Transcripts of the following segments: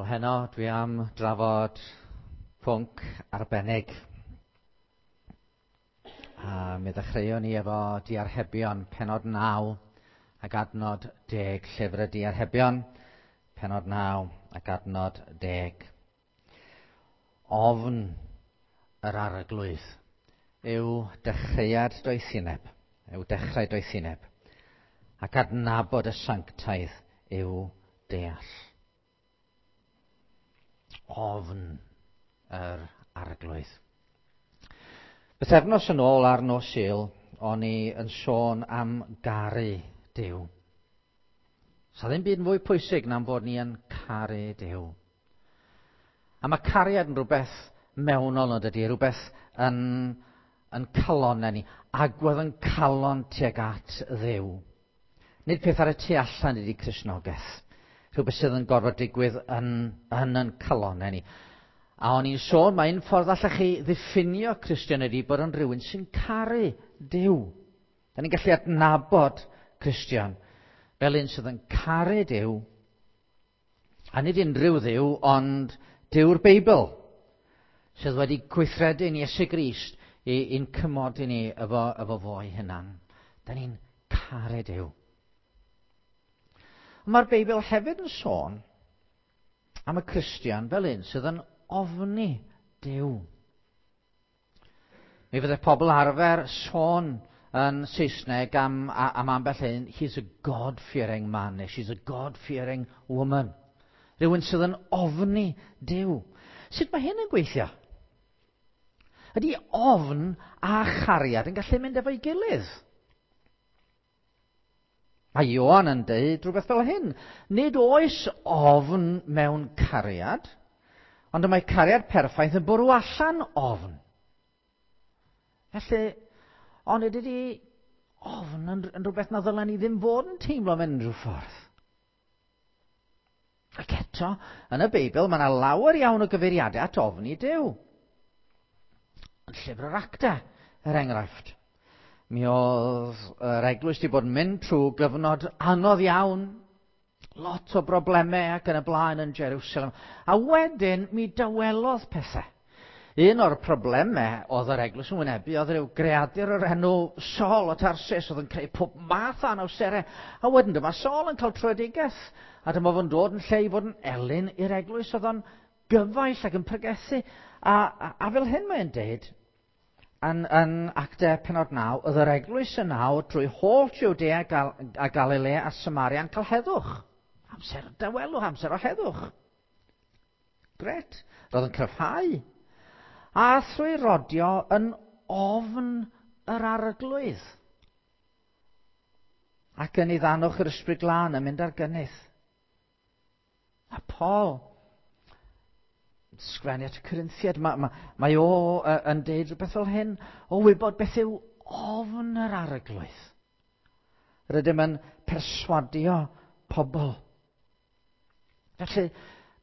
Wel heno dwi am drafod pwnc arbennig. A mi ddechreuon ni efo diarhebion penod 9 ac adnod 10, llyfr y diarhebion, penod 9 ac adnod 10. Ofn yr arglwydd yw dechreuad doethineb, yw dechrau doethineb, ac adnabod y sanctaidd yw deall. Ofn yr arglwydd. Bythefnos yn ôl ar nos Sul, o'n i yn sôn am garu Duw. Sa ddim byd yn fwy pwysig na'n bod ni yn caru Duw. A mae cariad yn rhywbeth mewnol yn dydy, rhywbeth yn, yn calonau ni, agwedd yn calon tuag at Dduw. Nid peth ar y tu allan ydy Cristnogaeth. Rhywbeth sydd yn gorfod digwydd yn, yn yn calonau ni. A o'n i'n sôn, mae un ffordd allech chi ddiffinio Cristion ydy bod yn rhywun sy'n caru Duw. Da ni'n gallu adnabod Cristion fel un sydd yn caru Duw, a nid unrhyw Dduw, ond Duw'r Beibl, sydd wedi gweithredu yn Iesu Grist i'n cymodi ni efo, efo fo'i hunan. Da ni'n caru Duw. Mae'r Beibl hefyd yn sôn am y Cristion fel un sydd yn ofni Duw. Mi fydde pobl arfer sôn yn Saesneg am, am ambell un, he's a God-fearing man, neu she's a God-fearing woman. Rhywun sydd yn ofni Duw. Sut mae hyn yn gweithio? Ydy ofn a chariad yn gallu mynd efo'i gilydd? Mae Ioan yn deud rhywbeth fel hyn. Nid oes ofn mewn cariad, ond y mae cariad perffaith yn bwrw allan ofn. Felly, ond ydy ofn yn, yn rhywbeth na ddylen ni ddim fod yn teimlo mewn unrhyw ffordd. Ac eto, yn y Beibl, mae yna lawer iawn o gyfeiriadau at ofni Duw. Yn llyfr yr Acta, er enghraifft. Mi oedd yr eglwys wedi bod yn mynd trwy gyfnod anodd iawn, lot o broblemau ac yn y blaen yn Jerusalem. A wedyn mi dywelodd pethau. Un o'r problemau oedd yr eglwys yn wynebu oedd rhyw greadur o'r enw Saul o Tarsus oedd yn creu pob math o anawsterau. A wedyn dyma Saul yn cael tröedigaeth. A dyma fo'n dod yn lle i fod yn elyn i'r eglwys. Oedd o'n gyfaill ac yn pregethu. A, a, a fel hyn mae'n deud, yn, yn Actau penod 9, oedd yr eglwys yn nawr drwy holl Judea a Galilea a Samaria yn cael heddwch. Amser o dawelwch, amser o heddwch. Gret. Roedd yn cryfhau. A thrwy rodio yn ofn yr arglwydd. Ac yn ei ddanwch yr ysbryd glân yn mynd ar gynnydd. A Paul, sgrennu at y Corinthiad, mae, mae, mae o yn deud rhywbeth fel hyn, o wybod beth yw ofn yr arglwydd. Rydym yn perswadio pobl. Felly,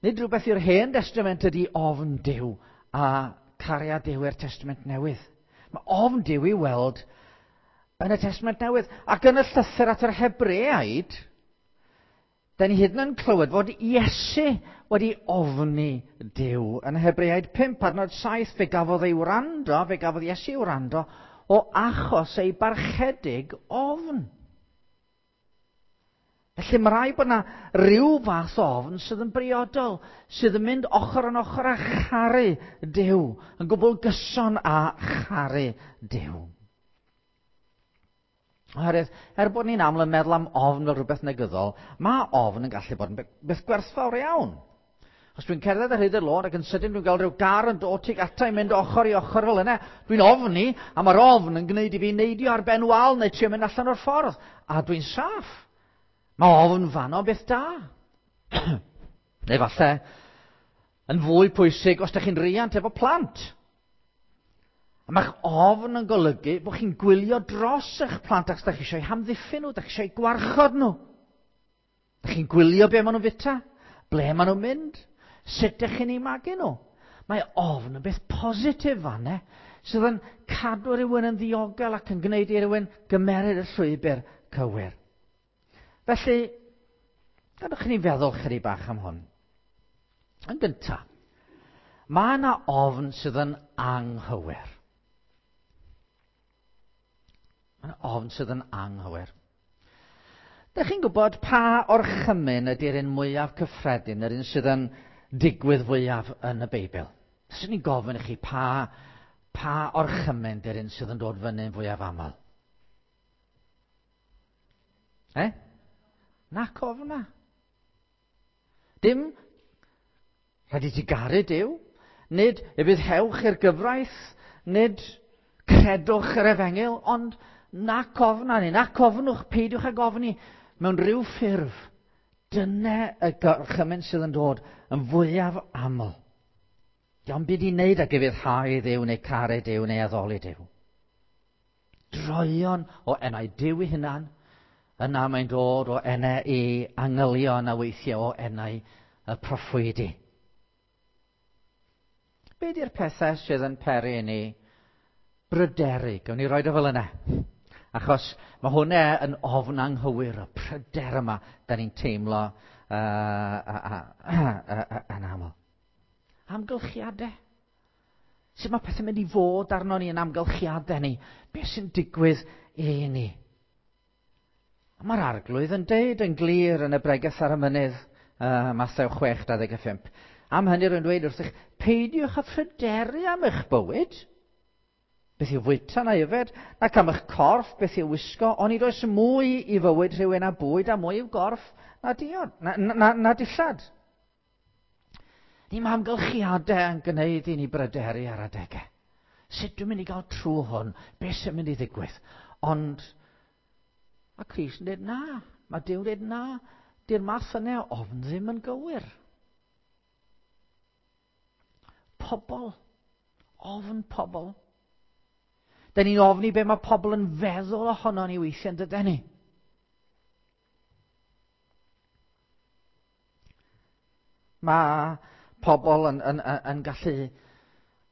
nid rhywbeth i'r Hen Destament ydy ofn Duw a cariad Duw i'r Testament Newydd. Mae ofn Duw i weld yn y Testament Newydd. Ac yn y llythyr at yr Hebreaid, da ni hyd yn clywed fod Iesu wedi ofni Duw. Yn Hebreaid 5, adnod 7, fe gafodd ei wrando, fe gafodd Iesu ei wrando o achos ei barchedig ofn. Felly mae rhaid bod yna rhyw fath o ofn sydd yn briodol, sydd yn mynd ochr yn ochr â charu Duw, yn gwbl gyson â charu Duw. Oherwydd, er bod ni'n aml yn meddwl am ofn fel rhywbeth negyddol, mae ofn yn gallu bod yn beth gwerthfawr iawn. Os dwi'n cerdded ar hyd y lôn ac yn sydyn dwi'n gael rhyw gar yn dod tuag ata i mynd ochr i ochr fel yna, dwi'n ofni, a mae'r ofn yn gwneud i fi neidio ar ben wal neu trio mynd allan o'r ffordd, a dwi'n saff. Mae ofn fanno beth da. neu falle, yn fwy pwysig, os ydych chi'n riant efo plant. A mae'ch ofn yn golygu bod chi'n gwylio dros eich plant ac ydych chi eisiau hamddiffyn nhw, ydych chi eisiau gwarchod nhw. Dych chi'n gwylio be maen nhw'n fita? Ble maen nhw'n mynd? Sut dych chi'n eu magu nhw? Mae ofn yn beth positif fanne, sydd yn cadw rhywun yn ddiogel ac yn gwneud i rhywun gymeryd y llwybr cywir. Felly, gadwch chi ni feddwl chydig bach am hwn. Yn gyntaf, mae yna ofn sydd yn anghywir. Mae yna ofn sydd yn anghywir. Dych chi'n gwybod pa orchymyn ydy'r un mwyaf cyffredin, yr un sydd yn digwydd fwyaf yn y Beibl? Swn i'n gofyn i chi pa orchymyn ydy'r un sydd yn dod fyny'n fwyaf aml? E? Nac ofna. Dim rhaid i ti garu Duw, nid y bydd hewch i'r gyfraith, nid credwch yr efengyl, ond nac ofna ni, nac ofnwch, peidiwch ag ofni mewn rhyw ffurf. Dyna y gorchymyn sydd yn dod yn fwyaf aml. Dio'm byd i wneud ag ufuddhau i Dduw neu caru Duw neu addoli Duw. Droeon o enau Duw ei hunan, yna mae'n dod o enau i angylion a weithiau o enau y proffwydi. Be di'r pethau sydd yn peri i ni bryderu? Gawn ni roed o fel yna. Achos mae hwnna yn ofn anghywir, y pryder yma da ni'n teimlo yn aml. Amgylchiadau. Sut mae pethau'n mynd i fod arno ni yn amgylchiadau ni? Beth sy'n digwydd i ni? A mae'r Arglwydd yn deud yn glir yn y bregeth ar y mynydd, Mathew 6:25. Am hynny rwy'n dweud wrthych, peidiwch â phryderu am eich bywyd. Beth yw fwyta na yfed, nac am eich corff, beth yw wisgo, onid oes mwy i fywyd rhywun a bwyd a mwy i'w gorff na diod, na dillad. Ni mae amgylchiadau yn gwneud i ni bryderu ar adegau. Sut dwi'n mynd i gael trwy hwn? Beth sy'n mynd i ddigwydd? Ond mae Crist yn dweud na. Mae Duw yn dweud na. Di'r math yna o ofn ddim yn gywir. Pobl. Ofn pobl. Da ni'n ofni be mae pobl yn feddwl ohono ni weithiau, yn dydyn ni? Mae pobl yn gallu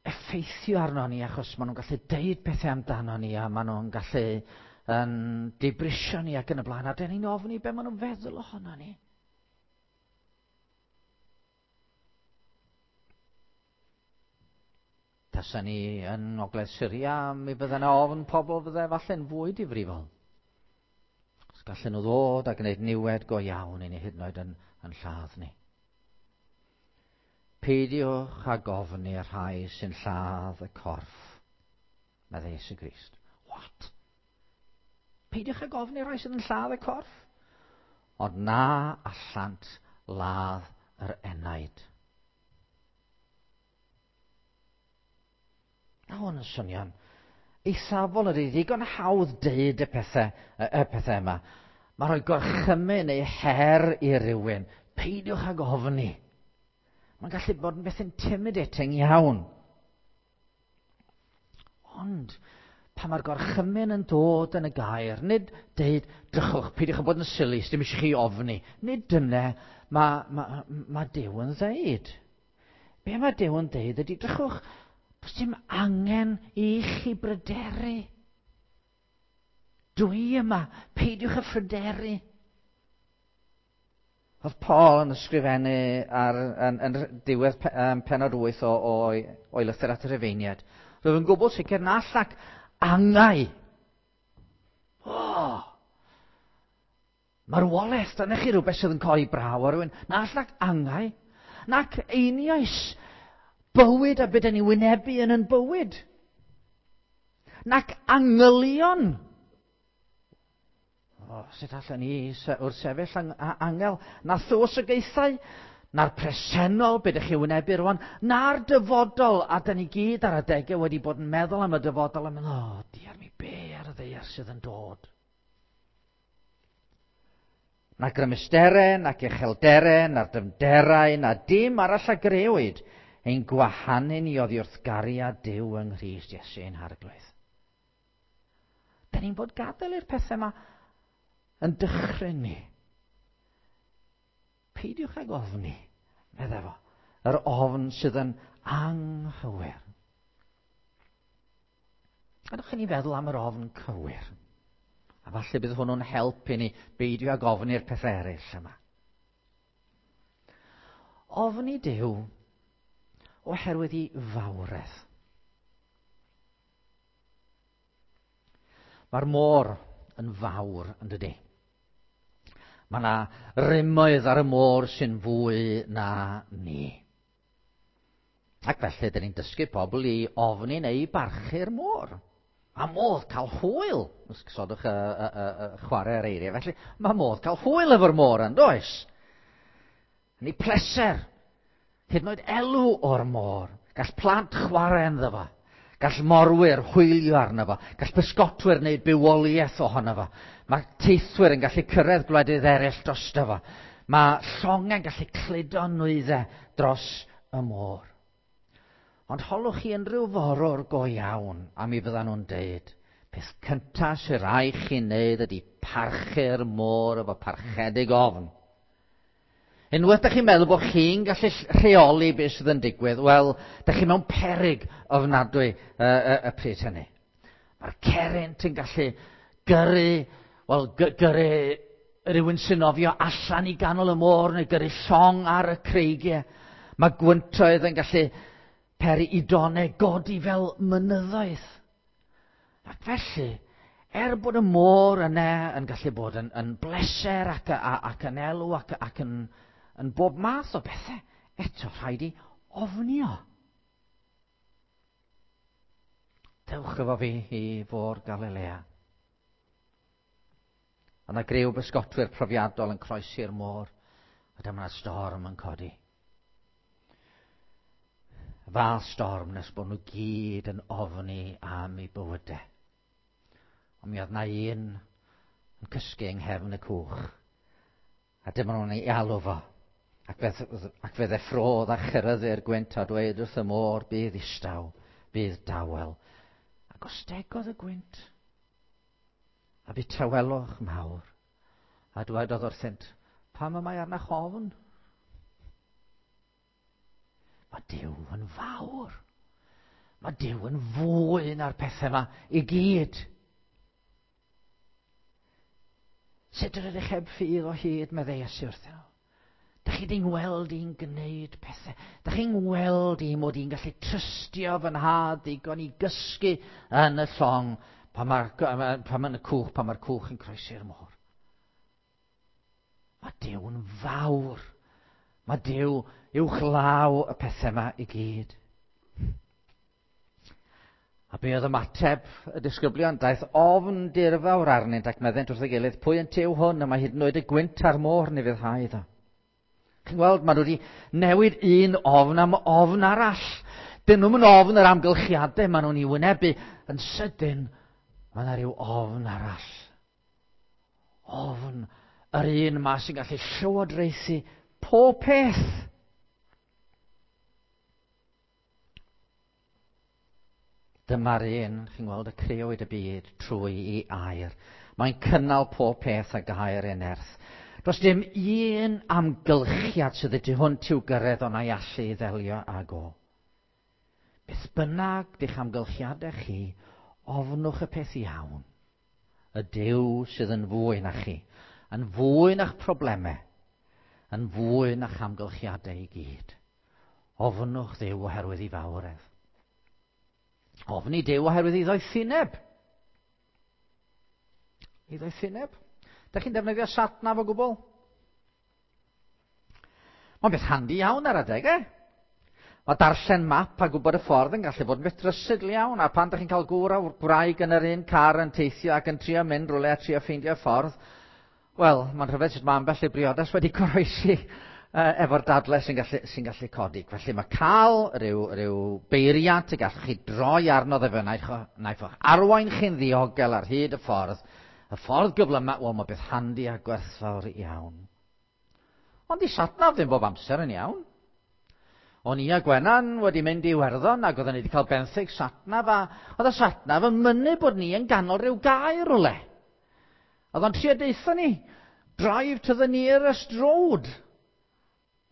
effeithio arno ni achos maen nhw'n gallu deud pethau amdano ni a maen nhw'n gallu yn dibrisio ni ac yn y blaen, a dyn ni'n ofni be maen nhw'n feddwl ohono ni. Tasa ni yn Ogledd Syria, mi fydde yna ofn pobl fydde falle'n fwy difrifol. Os gallen nhw ddod a gwneud niwed go iawn i ni, hyd yn oed yn lladd ni. Peidiwch ag ofni y rhai sy'n lladd y corff, meddai Iesu Grist. What? Peidiwch ag ofni y rhai sydd yn lladd y corff? Ond na allant ladd yr enaid. Na hwn yn swnio'n eithafol ydy, ddigon hawdd deud y pethau yma. Mae rhoi gorchymyn neu her i rywun. Peidiwch ag ofni. Mae'n gallu bod yn beth intimidating iawn. Ond pan mae'r gorchymyn yn dod yn y gair, nid deud, drychwch, peidiwch â bod yn silly, dim eisiau chi ofni. Nid dyna mae Duw yn ddeud. Be mae Duw yn deud ydy, drychwch, does dim angen i chi bryderu. Dwi yma, peidiwch â phryderu. Oedd Paul yn ysgrifennu yn diwedd pennod 8 o'i lythyr at y Rhufeiniaid. Roedd yn gwbl sicr na allac angau. O! Marwolaeth, dyna chi rhywbeth sydd yn codi braw ar rhywun. Na allac angau, nac einioes bywyd a beth ni wynebu yn yn bywyd. Nac angylion. O, sut allan ni wrth sefyll angel? Na thywysogaethau, na'r presennol, be ydych chi wynebu rwan, na'r dyfodol, a da ni gyd ar adegau wedi bod yn meddwl am y dyfodol, a meddwl, o, diar mi be ar y ddaear sydd yn dod. Na grymusterau, nac uchelderau, na'r dyfnderau, na dim arall a grëwyd, ein gwahanu ni oddi wrth gariad Duw yng Nghrist Iesu ein Harglwydd. Da ni'n bod gadael i'r pethau yma yn dychryn ni. Peidiwch ag ofni, meddai fo, yr ofn sydd yn anghywir. A dewch i ni feddwl am yr ofn cywir. A falle bydd hwnnw'n helpu ni beidio ag ofni'r pethau eraill yma. Ofni Duw oherwydd i fawredd. Mae'r môr yn fawr, yn dydy. Mae yna rymoedd ar y môr sy'n fwy na ni. Ac felly, dyn ni'n dysgu pobl i ofni neu i barchu'r môr. Mae modd cael hwyl, os gosodwch y, y, y, y chwarae ar eiriau. Felly, mae modd cael hwyl efo'r môr yn does? Yn ei pleser, hyd yn oed elw o'r môr. Gall plant chwarae ynddo fo. Gall morwyr hwylio arno fo. Gall pysgotwyr wneud bywoliaeth ohono fo. Mae teithwyr yn gallu cyrraedd gwledydd eraill drosto fo. Mae llongau'n gallu cludo nwyddau dros y môr. Ond holwch chi unrhyw forwr go iawn, a mi fyddan nhw'n deud, peth cyntaf sy'n rhaid chi wneud ydy parchu'r môr efo parchedig ofn. Unwaith da chi'n meddwl bod chi'n gallu rheoli beth sydd yn digwydd, wel, da chi mewn perig ofnadwy y, y, y pryd hynny. Mae'r cerrynt yn gallu gyrru, wel, gyrru rhywun sy'n nofio allan i ganol y môr neu gyrru llong ar y creigiau. Mae gwyntoedd yn gallu peri i donau godi fel mynyddoedd. Ac felly, er bod y môr yna yn gallu bod yn, yn bleser ac, a, ac yn elw ac, ac yn, yn bob math o bethau, eto rhaid i ofnio. Dewch efo fi i fôr Galilea. Yna griw bysgotwyr profiadol yn croesi'r môr, a dyma'r storm yn codi. Fath storm nes bod nhw gyd yn ofni am eu bywydau. Ond mi oedd na un yn cysgu yng nghefn y cwch. A dyma nhw'n ei alw fo. Ac fe, ac fe ddeffrodd a chyrraeddu'r gwynt a dweud wrth y môr, bydd istaw, bydd dawel. Ac ostegodd y gwynt. A bu tawelwch mawr. A dwedodd wrthynt, pam y mae arnach ofn? Mae Duw yn fawr. Mae Duw yn fwy na'r pethau yma i gyd. Sut yr ydych heb ffydd o hyd, meddai Iesu wrthyn nhw. Da chi di'n gweld i'n gwneud pethau. Da chi'n gweld i mod i'n gallu trystio fy nhad ddigon i gysgu yn y llong pan mae'r pan mae y cwch, pan mae'r cwch yn croesi'r môr. Mae Duw'n fawr. Mae Duw uwchlaw y pethau yma i gyd. A be oedd ymateb y disgyblion? Daeth ofn dirfawr arnynt ac meddent wrth ei gilydd, pwy yn tew hwn? Y mae hyd yn oed y gwynt a'r môr ni fydd iddo. Chi'n gweld, maen nhw wedi newid un ofn am ofn arall. Dyn nhw'n mynd ofn yr amgylchiadau maen nhw'n ei wynebu. Yn sydyn, mae yna rhyw ofn arall. Ofn yr un yma sy'n gallu llywodraethu pob peth. Dyma'r un, chi'n gweld, y crëwyd y byd trwy i air. Mae'n cynnal pob peth a gair ei nerth. Does dim un amgylchiad sydd y tu hwnt i'w gyrraedd ond a'i allu i ddelio ag o. Beth bynnag di'ch amgylchiadau chi, ofnwch y peth iawn. Y Duw sydd yn fwy na chi, yn fwy na'ch problemau, yn fwy na'ch amgylchiadau i gyd. Ofnwch Dduw oherwydd ei fawredd. Ofni Duw oherwydd ei ddoethineb. Ei ddoethineb. Da chi'n defnyddio satnaf o gwbl? Mae'n beth handi iawn ar adegau. Mae darllen map a gwybod y ffordd yn gallu bod yn beth drysygl iawn, a pan da chi'n cael gŵr a gwraig yn yr un car yn teithio ac yn trio mynd rhywle a trio ffeindio ffordd, wel, mae'n rhyfedd sut mae ambell i briodas wedi goroesi efo'r dadle sy'n gallu, sy gallu codi. Felly mae cael rhyw, rhyw beiriant y gallwch chi droi arno dde fe, naiff o'ch arwain chi'n ddiogel ar hyd y ffordd, y ffordd gyflymau, wel, mae beth handi a gwerthfawr iawn. Ond di satnaf ddim bob amser yn iawn. O'n i a Gwenan wedi mynd i Iwerddon ac oedden ni wedi cael benthyg satnaf a oedd y satnaf yn mynnu bod ni yn ganol rhyw gae rhywle. Oedd o'n trio deutha ni, drive to the nearest road.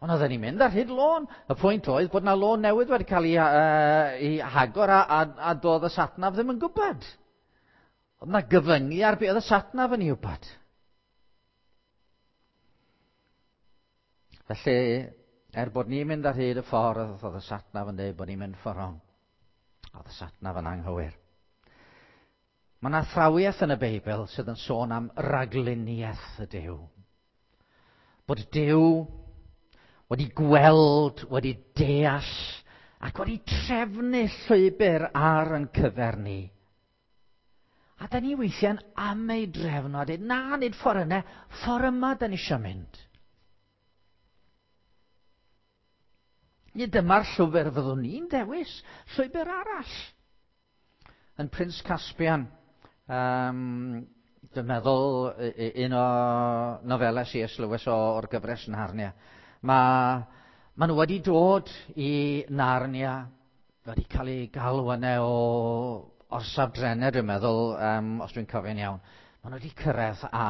Ond oedden ni'n mynd ar hyd lôn. Y pwynt oedd bod na lôn newydd wedi cael ei, ei hagor a, a, a doedd y satnaf ddim yn gwybod. Oedd na gyfyngu ar be oedd y satnaf yn ei wybod. Felly, Er bod ni'n mynd ar hyd y ffordd, oedd y satnaf yn dweud bod ni'n mynd ffordd rong. Oedd y satnaf yn anghywir. Mae yna athrawiaeth yn y Beibl sydd yn sôn am ragluniaeth y Duw. Bod Duw wedi gweld, wedi deall ac wedi trefnu llwybr ar yn cyfer ni. A da ni weithiau'n am ei drefnu a dweud, na, nid ffordd yna, ffordd yma da ni eisiau mynd. Nid dyma'r llwybr fyddwn ni'n dewis, llwybr arall. Yn Prince Caspian, dwi'n meddwl un o nofelau C.S. Lewis o'r gyfres Narnia, mae ma nhw wedi dod i Narnia, wedi cael eu galw yna o orsaf drenau, dwi'n meddwl, os dwi'n cofio'n iawn. Maen nhw wedi cyrraedd a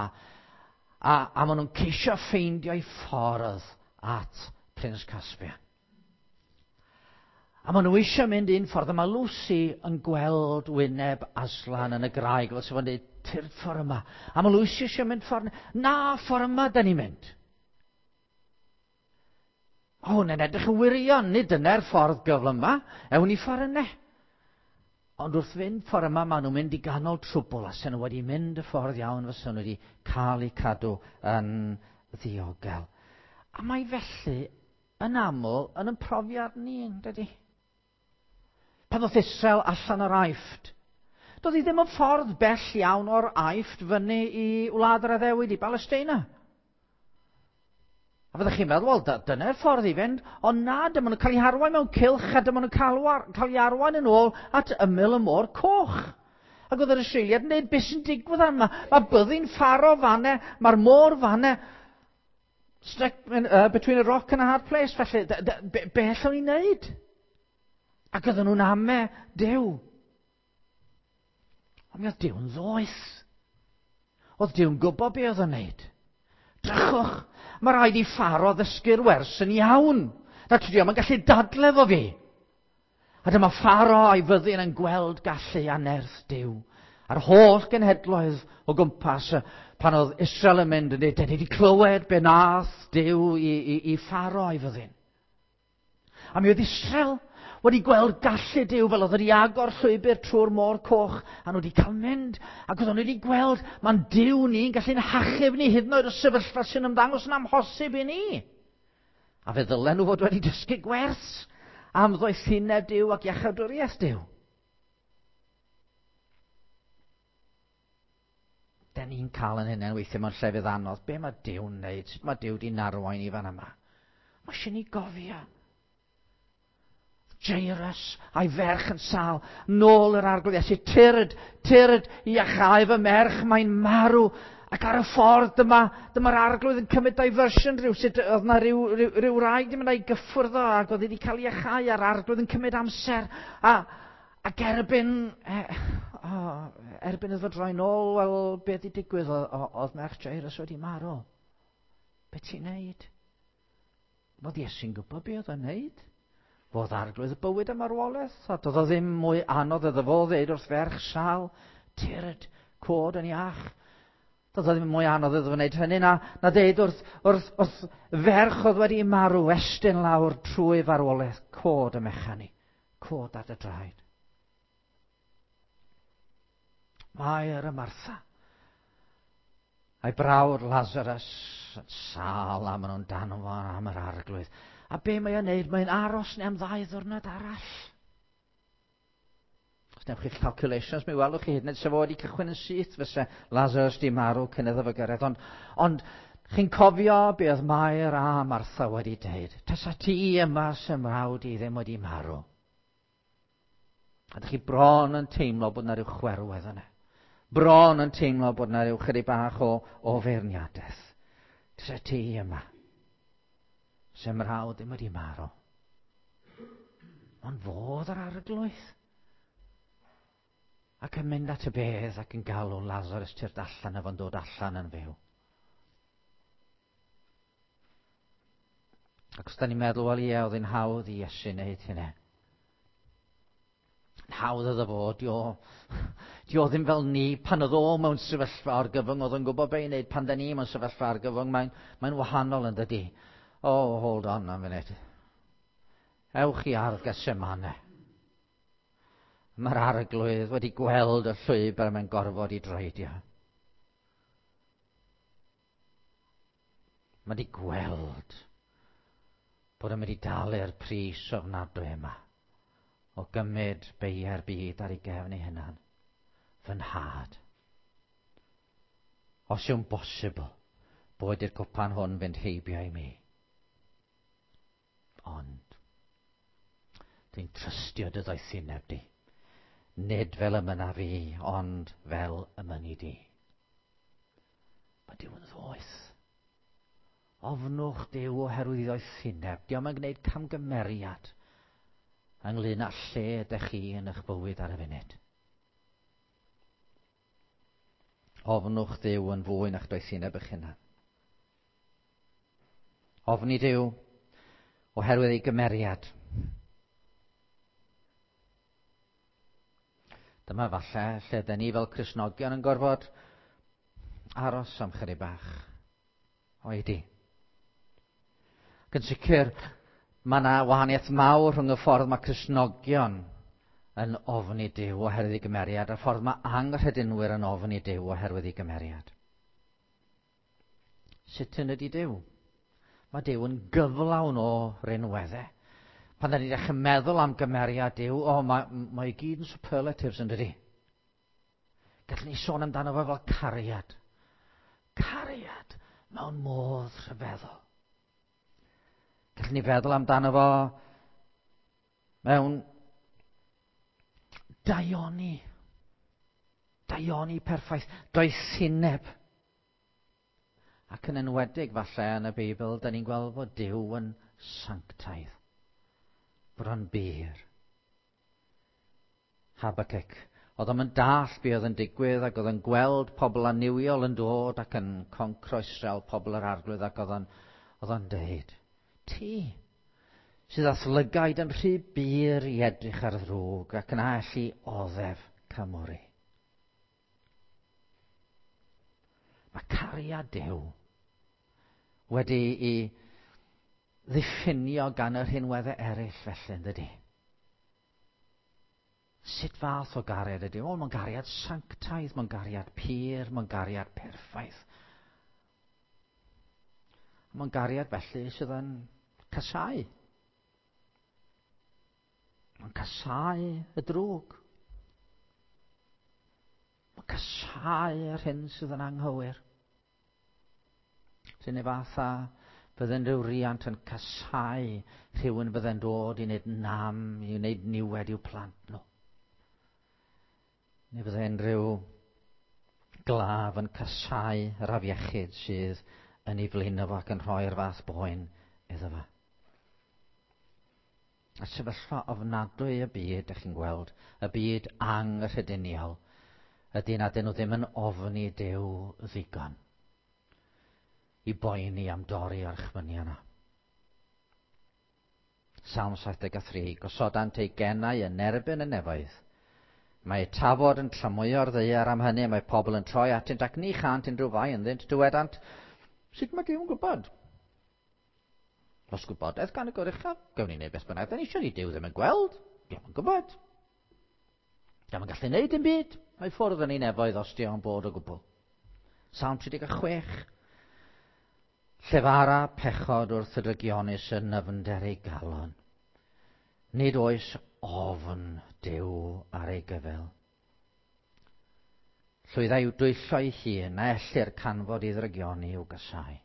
maen nhw'n ceisio ffeindio'i ffordd at Prince Caspian. A maen nhw eisiau mynd un ffordd, a mae Lucy yn gweld wyneb Aslan yn y graig, fel sy'n dweud, tyrd ffordd yma. A mae Lucy eisiau mynd ffordd, na, ffordd yma da ni'n mynd. O, hwnna'n edrych yn wirion, nid dyna'r ffordd gyflym yma, ewn ni ffordd yna. Ond wrth fynd ffordd yma, maen nhw'n mynd i ganol trwbl, a sy'n nhw wedi mynd y ffordd iawn, fysa nhw wedi cael eu cadw yn ddiogel. A mae felly yn aml yn yn profiad ni, yn dydy? Pan ddoth Israel allan o'r Aifft, doedd hi ddim yn ffordd bell iawn o'r Aifft fyny i wlad yr addewid i Balesteina. A fyddwch chi'n meddwl, wel, dyna'r ffordd i fynd, ond na, dyma nhw'n cael eu harwain mewn cylch a dyma nhw'n cael eu arwain yn ôl at ymyl y môr coch. Ac oedd yr Israeliad yn dweud, beth sy'n digwydd yma? Mae byddin Pharo fanne, mae'r môr fanne, stuck between a rock and a hard place, felly, be allwn ni wneud? Ac oedden nhw'n ame Duw. Ond mi oedd Duw'n ddoeth. Oedd Duw'n gwybod be oedd o'n wneud. Drychwch, mae rhaid i Pharo ddysgu'r wers yn iawn. Na tydi o'm yn gallu dadle fo fi. A dyma Pharo a'i fyddin yn gweld gallu a nerth Duw. A'r holl genhedloedd o gwmpas pan oedd Israel yn mynd yn dweud, "Dan ni wedi clywed be nath Duw i Pharo a'i fyddin." A mi oedd Israel wedi gweld gallu Duw fel oedd wedi agor llwybr trwy'r môr coch, a nhw wedi cael mynd, ac oedden nhw wedi gweld, mae'n Duw ni'n gallu'n hachub ni hyd yn oed o sefyllfa sy'n ymddangos yn amhosib i ni. A fe ddylen nhw fod wedi dysgu gwers am ddoethineb Duw ac iachawdwriaeth Duw. Da ni'n cael yn hynny weithiau mewn llefydd anodd. Be mae Duw'n wneud? Sut mae Duw 'di narwain i fan yma? Mae eisiau ni gofio. Jairus a'i ferch yn sâl, nôl yr arglwydd Iesu, tyrd, tyrd, iachau fy merch, mae'n marw. Ac ar y ffordd, dyma'r arglwydd yn cymryd diversion rhyw, sut oedd yna rhyw wraig di mynd a'i gyffwrdd o, ac oedd wedi cael iachau, a'r arglwydd yn cymryd amser. Ac erbyn iddo droi nôl, wel, beth di digwydd? Oedd merch Jairus wedi marw. Be ti'n neud? Oedd Iesu'n gwybod be oedd o'n neud. Fodd arglwydd y bywyd a marwolaeth, a doedd o ddim mwy anodd iddo fo ddeud wrth ferch sâl, tyrd, cod yn iach. Doedd o ddim mwy anodd iddo fo wneud hynny na ddeud wrth ferch oedd wedi marw, estyn lawr trwy farwolaeth, cod y mechan i, cod ar dy draed. Mair a Martha, a'i brawd Lazarus yn sâl a maen nhw'n danfon am yr arglwydd. A be mae o'n neud? Mae'n aros neu am 2 ddiwrnod arall. Os newch chi'ch calculations, mi welwch chi hyd yn oed sef o wedi cychwyn yn syth fyse Lazarus di marw cyn iddo fo gyrraedd. Ond chi'n cofio be oedd Mair a Martha wedi deud? Tasa ti yma sy'n mrawd i ddim wedi marw. A dych chi bron yn teimlo bod yna rhyw chwerwedd yna. Bron yn teimlo bod yna rhyw chydig bach o feirniadaeth. Tasa ti yma. Sy'n mrawd ddim wedi marw. Ond fodd yr arglwydd. Ac yn mynd at y bedd ac yn galw Lazarus tyrd allan a fo'n dod allan yn fyw. Ac os da ni'n meddwl, wel ie, oedd hi'n hawdd i Iesu wneud hynny. Hawdd oedd o fod, di o ddim fel ni, pan oedd o mewn sefyllfa argyfwng, oedd o'n gwybod be i wneud, pan da ni mewn sefyllfa argyfwng, mae'n wahanol yn dydi. Oh, hold on a minute. Ewch i ardd Gethsemane. Mae'r Arglwydd wedi gweld y llwybr mae'n gorfod i dreidio. Mae wedi gweld bod yn mynd i dalu'r pris ofnadwy yma o gymryd beiau'r byd ar ei gefn ei hunan. Fy nhad. Os yw'n bosibl, boed i'r cwpan hwn fynd heibio i mi. Ond, dwi'n trystio dy ddoethineb di. Nid fel y mynna fi, ond fel y mynni di. Mae Duw yn ddoeth. Ofnwch Duw oherwydd ei ddoethineb. Dio'm yn gwneud camgymeriad ynglyn â lle ydych chi yn eich bywyd ar y funud. Ofnwch Dduw yn fwy na'ch doethineb eich hunan. Ofni Duw oherwydd ei gymeriad. Dyma falle lle dyn ni fel Cristnogion yn gorfod aros am chydig bach. Oedi. Ac yn sicr, mae yna wahaniaeth mawr rhwng y ffordd mae Cristnogion yn ofni Duw oherwydd ei gymeriad a'r ffordd mae anghredinwyr yn ofni Duw oherwydd ei gymeriad. Sut yn ydy Duw? Mae Duw yn gyflawn o rinweddau. Pan da ni'n dechrau meddwl am gymeriad Duw, o, mae, mae i gyd yn superlatives yn dydy. Gallwn ni sôn amdano fo fel cariad. Cariad mewn modd rhyfeddol. Gallwn ni feddwl amdano fo mewn daioni. Daioni perffaith. Doethineb. Ac yn enwedig falle yn y Beibl, da ni'n gweld fod Duw yn sanctaidd. Bod o'n bur. Habakkuk. Oedd o'n dall be oedd yn digwydd ac oedd yn gweld pobl annuwiol yn dod ac yn concro Israel, pobl yr Arglwydd, ac oedd o'n, oedd o'n deud, ti sydd â'th lygaid yn rhy bur i edrych ar ddrwg ac yn allu oddef camwri. Mae cariad Duw wedi i ddiffinio gan yr rhinweddau eraill felly, yn dydy? Sut fath o gariad ydy? O, mae'n gariad sanctaidd, mae'n gariad pur, mae'n gariad perffaith. Mae'n gariad felly sydd yn casáu. Mae'n casáu y drwg. Mae'n casáu yr hyn sydd yn anghywir. Sy'n ei fath â bydde'n rhyw riant yn casáu rhywun bydde'n dod i wneud nam, i wneud niwed i'w plant nhw. Neu bydde'n rhyw glaf yn casáu yr afiechyd sydd yn ei flino fo ac yn rhoi'r fath boen iddo fo. A sefyllfa ofnadwy y byd, ydych chi'n gweld, y byd anghrediniol, ydy nad ydyn nhw ddim yn ofni Duw ddigon i boeni am dorri orchmynion yna. Salm 73, gosodant eu genau yn erbyn y nefoedd. Mae tafod yn tramwyo'r ddaear am hynny, mae pobl yn troi atynt ac ni chant unrhyw fai ynddynt. Dywedant, sut mae Duw yn gwybod? Os gwybodaeth gan y Goruchaf, gawn ni wneud beth bynnag da ni eisiau, ni Duw ddim yn gweld, dio'm yn gwybod. Dio'm yn gallu wneud dim byd, mae ffwrdd yn ei nefoedd os dio'n bod o gwbl. Salm 36, Llefara pechod wrth y drygionus yn nyfnder ei galon. Nid oes ofn Duw ar ei gyfyl. Llwydda i'w dwyllo ei hun, na ellir canfod ei ddrygioni i'w gasau.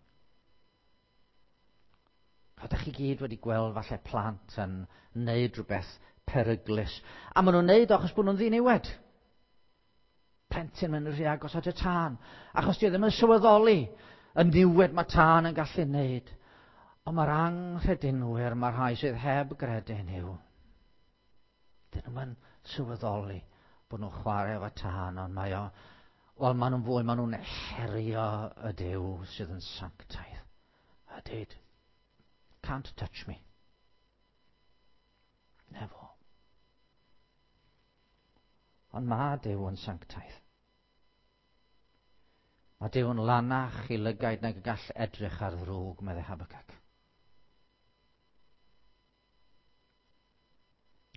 Ydych chi gyd wedi gweld falle plant yn neud rhywbeth peryglus. A maen nhw'n neud o achos bod nhw'n ddiniwed. Plentyn mynd rhy agos at y tân. Achos di o ddim yn sylweddoli y niwed mae tân yn gallu neud. Ond mae'r anghredinwyr, mae'r rhai sydd heb gredu yn Nuw, dyn nhw'n sylweddoli bod nhw'n chwarae efo tân, ond mae o, wel, maen nhw'n fwy, maen nhw'n herio y Duw sydd yn sanctaidd. A dweud, can't touch me. Nefo. Ond mae Duw yn sanctaidd. Mae Duw yn lanach i lygaid nag y gall edrych ar ddrwg, meddai Habakkuk.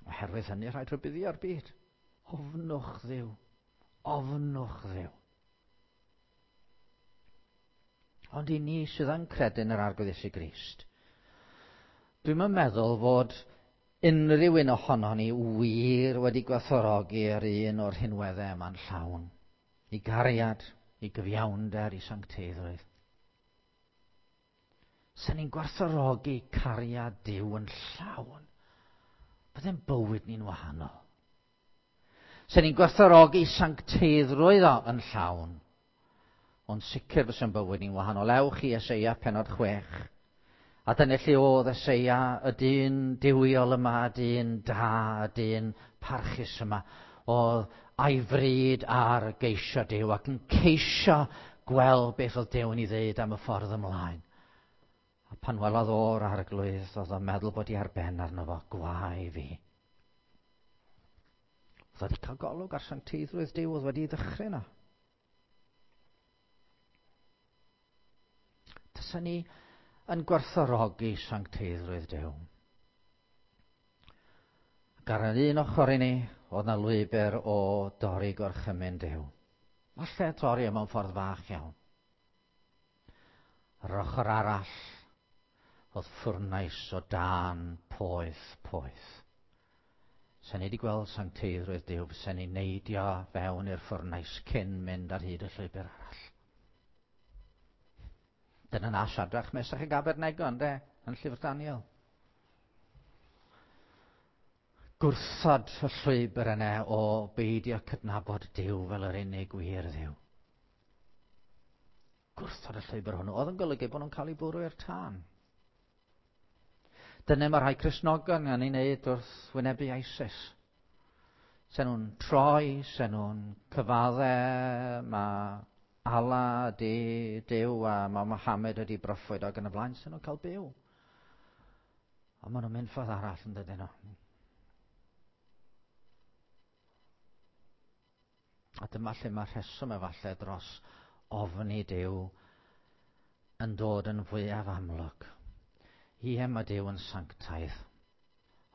Oherwydd hynny rhaid rhybuddio'r byd. Ofnwch Dduw. Ofnwch Dduw. Ond i ni sydd yn credu yn yr Arglwydd Iesu Grist, dwi'm yn meddwl fod unrhyw un ohonon ni wir wedi gwerthfawrogi yr un o'r rhinweddau yma'n llawn. I gariad, i gyfiawnder, i sancteiddrwydd. Sen ni'n gwerthfawrogi cariad Duw yn llawn, bydde'n bywyd ni'n wahanol. Sen ni'n gwerthfawrogi sancteiddrwydd o yn llawn, ond sicr fyse'n bywyd ni'n wahanol. Ewch i Eseia pennod 6. A dyna lle oedd Eseia, y dyn duwiol yma, y dyn da, y dyn parchus yma, oedd a'i fryd ar geisio Duw ac yn ceisio gweld beth oedd Duw yn ei ddeud am y ffordd ymlaen. A pan welodd o'r Arglwydd, oedd o'n meddwl bod hi ar ben arno fo, gwae fi. Oedd wedi cael golwg ar sancteiddrwydd Duw, oedd wedi ddychryn yna. Tasa ni yn gwerthfawrogi sancteiddrwydd Duw. Ac ar yr un ochr i ni, oedd na lwybr o dorri gorchymyn Duw. Falle torri mewn ffordd fach iawn. Ar yr ochr arall, oedd ffwrnais o dân poeth, poeth. Sen ni wedi gweld sancteiddrwydd Duw, sen ni'n neidio fewn i'r ffwrnais cyn mynd ar hyd y llwybr arall. Dyna na Siadrach, Mesach ac Abednego, ynde, yn llyfr Daniel. Gwrthod y llwybr yna o beidio cydnabod Duw fel yr unig wir Dduw. Gwrthod y llwybr hwnnw oedd yn golygu bod nhw'n cael eu bwrw i'r tân. Dyna mae rhai Cristnogion yn ei wneud wrth wynebu ISIS. Sen nhw'n troi, sen nhw'n cyfadde, mae Allah ydi Duw a mae Mohammed ydi broffwyd ac yn y blaen, sen nhw'n cael byw. Ond maen nhw'n mynd ffordd arall yn dydyn nhw. A dyma lle mae rheswm efallai dros ofni Duw yn dod yn fwyaf amlwg. Ie, mae Duw yn sanctaidd,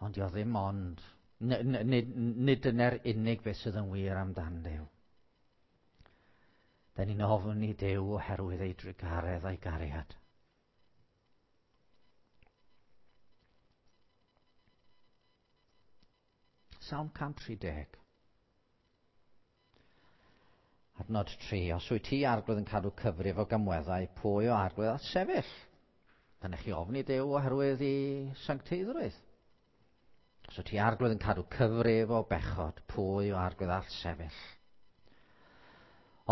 ond dio ddim ond, nid, nid dyna'r unig beth sydd yn wir amdan Duw. Da ni'n ofni Duw oherwydd ei drugaredd a'i gariad. Salm 130. Adnod 3. Os wyt ti, Arglwydd, yn cadw cyfrif o gamweddau, pwy o Arglwydd all sefyll? Dyna chi ofni Duw oherwydd i sancteiddrwydd. Os wyt ti, Arglwydd, yn cadw cyfrif o bechod, pwy o Arglwydd all sefyll?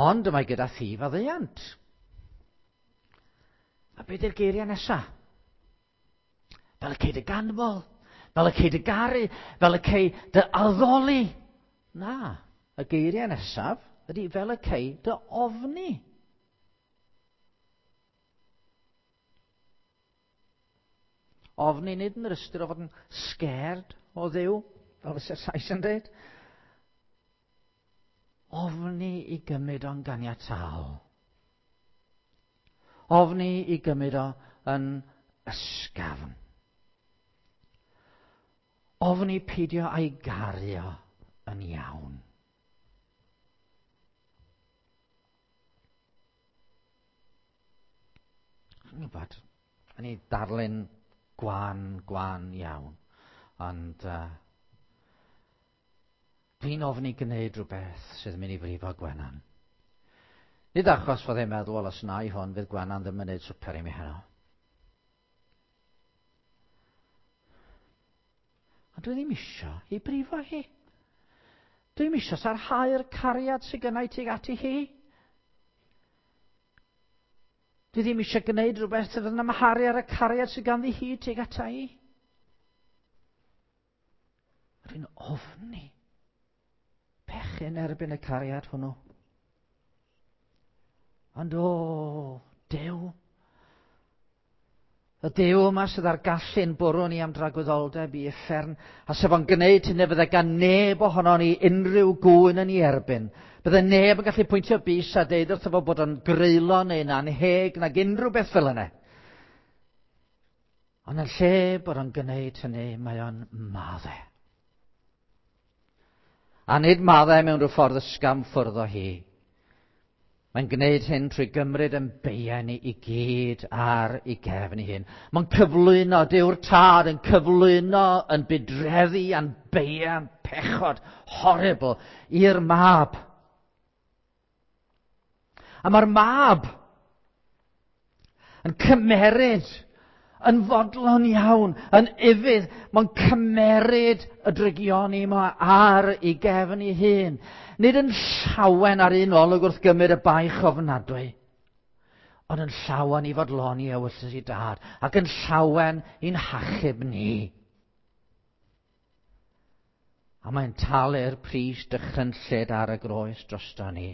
Ond y mae gyda thi faddeuant. A beth yw'r geiriau nesaf? Fel y cei dy ganmol, fel y cei dy garu, fel y cei dy addoli. Na, y geiriau nesaf ydy fel y cei dy ofni. Ofni nid yn yr ystyr o fod yn scared o Dduw, fel fyse'r Sais yn dweud. Ofni i gymryd o'n ganiataol. Ofni i gymryd o yn ysgafn. Ofni peidio a'i gario yn iawn. Chi'n gwybod, o'n i darlun gwan, gwan iawn, ond dwi'n ofni gwneud rhywbeth sydd yn mynd i frifo Gwenan. Nid achos fod e'n meddwl, wel, os na i hwn, fydd Gwenan ddim yn gwneud swper i mi heno. Ond dwi ddim isio i brifo hi. Dwi'm isio sarhau'r cariad sydd gennau tuag ati hi. Dwi ddim eisiau gwneud rhywbeth sydd yn amharu ar y cariad sydd ganddi hi tuag ata i. Rwy'n ofni pechu yn erbyn y cariad hwnnw. Ond o, Duw, y Duw yma sydd ar gallu'n bwrw ni am dragwyddoldeb i uffern, a sef o'n gwneud hynny fydde gan neb ohono ni unrhyw gŵyn yn ei erbyn. Bydde neb yn gallu pwyntio bys a deud wrtho fo bod o'n greulon neu'n anheg nag unrhyw beth fel yna. Ond yn lle bod o'n gwneud hynny, mae o'n madde. A nid maddau mewn rhyw ffordd ysgafn ffwrdd o hi. Mae'n gwneud hyn trwy gymryd yn beiau ni i gyd ar ei gefn ei hun. Mae'n cyflwyno, Dyw'r Tad yn cyflwyno yn budreddi a'n beiau a'n pechod horrible i'r Mab. A mae'r Mab yn cymeryd, yn fodlon iawn, yn ufudd, mae'n cymeryd y drygioni yma ar ei gefn ei hun. Nid yn llawen ar un olwg wrth gymryd y baich ofnadwy, ond yn llawen i fodloni ewyllys ei Dad, ac yn llawen i'n hachub ni. A mae'n talu'r pris dychrynllyd ar y groes drosto ni.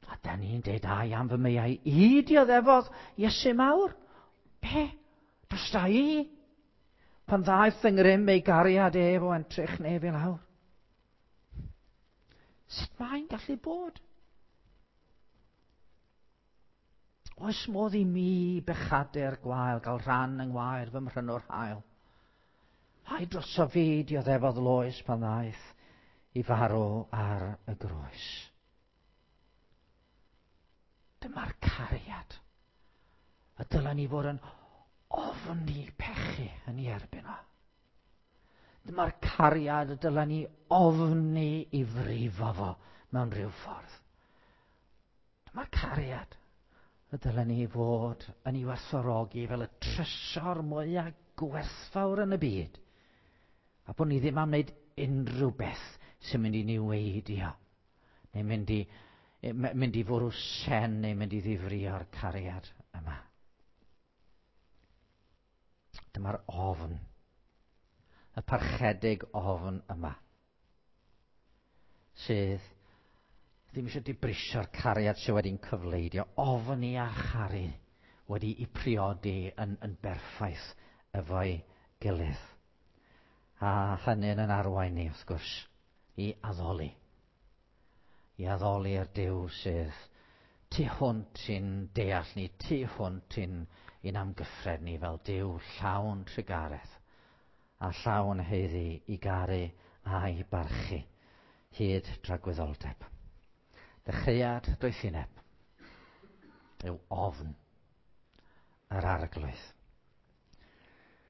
A da ni'n deud, ai am fy meiau i dioddefodd Iesu mawr? Be? Drosta i? Pan ddaeth yng ngrym ei gariad ef o entrych nef i lawr. Sut mae'n gallu bod? Oes modd i mi bechadur gwael gael rhan yng ngwaed fy mhrynwr hael? Ai droso fi dioddefodd loes pan ddaeth i farw ar y groes? Dyma'r cariad y dylen ni fod yn ofni pechu yn ei erbyn o. Dyma'r cariad y dylen ni ofni i frifo fo mewn rhyw ffordd. Dyma'r cariad y dylen ni fod yn ei werthfawrogi fel y trysor mwyaf gwerthfawr yn y byd. A bod ni ddim am wneud unrhyw beth sy'n mynd i niweidio, neu mynd i fwrw sen, neu mynd i ddifrio'r cariad yma. Dyma'r ofn, y parchedig ofn yma, sydd ddim eisiau dibrisio'r cariad sydd wedi'n cyfleidio. Ofni a charu wedi'i priodi yn berffaith efo'i gilydd. A hynny'n yn arwain ni, wrth gwrs, i addoli. I addoli'r Duw sydd tu hwnt i'n deall ni, tu hwnt i'n amgyffred ni fel Duw llawn trugaredd a llawn haeddu i garu a'i barchu hyd dragwyddoldeb. Dechreuad doethineb yw ofn yr Arglwydd.